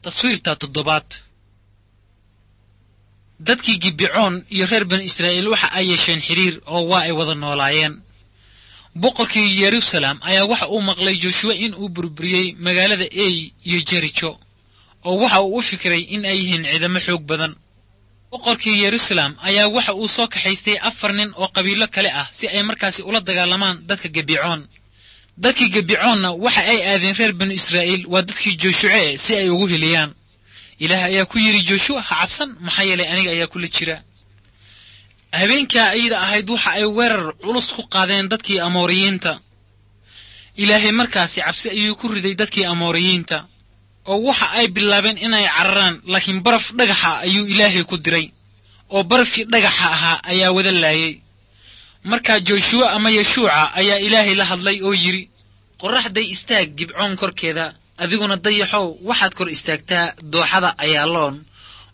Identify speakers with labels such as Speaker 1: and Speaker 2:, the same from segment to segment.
Speaker 1: Taswiirta toddobaad. Dadkii Gibecoon iyo reer banu Israa'iil waxa ay yeesheen xiriir oo waa ay wada noolaayeen. Boqorkii Yeruusalaam ayaa waxa uu maqlay Joshua in uu burburiyey magaalada Ey iyo Jericho, oo waxa uu u fikiray in ay yihiin ciidamo xoog badan. Boqorkii Yeruusalaam ayaa waxa uu soo kaxaystay 4 nin oo qabiilo kale ah si ay markaasi ula dagaalamaan dadka Gibecoon. Dadkii Gibecoonna waxa ay aadeen reer banu Israa'iil, waa dadkii Joshua, si ay ugu heliyaan. Ilaah ayaa ku yidhi Joshua, ha cabsan, maxaa yeelay aniga ayaa kula jira. Habeenkaa ayada ahayd waxa ay weerar culus ku qaadeen dadkii Amooriyiinta. Ilaahay markaasi cabsi ayuu ku riday dadkii Amooriyiinta, oo waxa ay bilaabeen inay cararaan, laakiin baraf dhagaxa ayuu Ilaahay ku diray, oo barafkii dhagaxa ahaa ayaa wada laayay. Markaa Joshua ama Yeshuuca ayaa Ilaahay la hadlay oo yidhi, qorraxday istaag Gibcoon korkeeda, adiguna dayaxow waxaad kor istaagtaa dooxada Ayaaloon.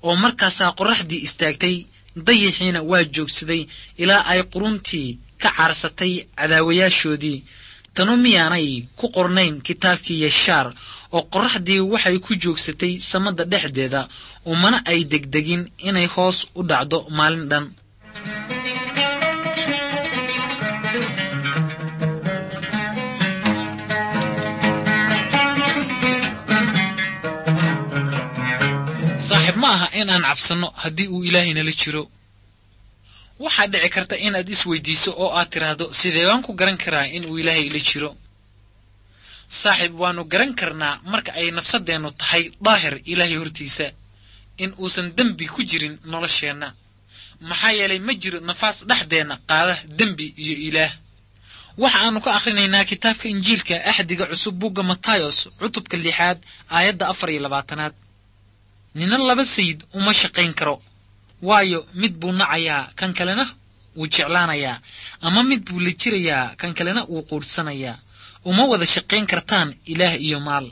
Speaker 1: Oo markaasaa qorraxdii istaagtay, dayaxiina waa joogsaday ilaa ay quruntii ka caarsatay cadaawayaashoodii. Tanu miyaanay ku qornayn kitaabkii Yeshaar, oo qorraxdii waxay ku joogsatay samada dhexdeeda, umana ay degdegin inay hoos u dhacdo maalin dhan. Saaxiib, ma aha in aan cabsanno haddii uu Ilaahay nala jiro. Waxaa dhici karta inaad isweydiiso oo aad tidhaahdo, sidee baan ku garan karaa in uu Ilaahay ila jiro? Saaxiib, waannu garan karnaa marka ay nafsaddeennu tahay daahir Ilaahay hortiisa, in uusan dembi ku jirin nolosheenna. Maxaa yeelay ma jiro nafaas dhexdeenna qaada dembi iyo Ilaah. Waxa aanu ka akhrinaynaa kitaabka Injiilka Axdiga Cusub, buugga Matayos, cutubka 6aad, aayadda 24aad. Nina laba sayid uma shaqayn karo, waayo mid buu nacayaa, kan kalena wuu jeclaanayaa, ama mid buu la jirayaa, kan kalena wuu quudhsanayaa. Uma wada shaqayn kartaan Ilaah iyo maal.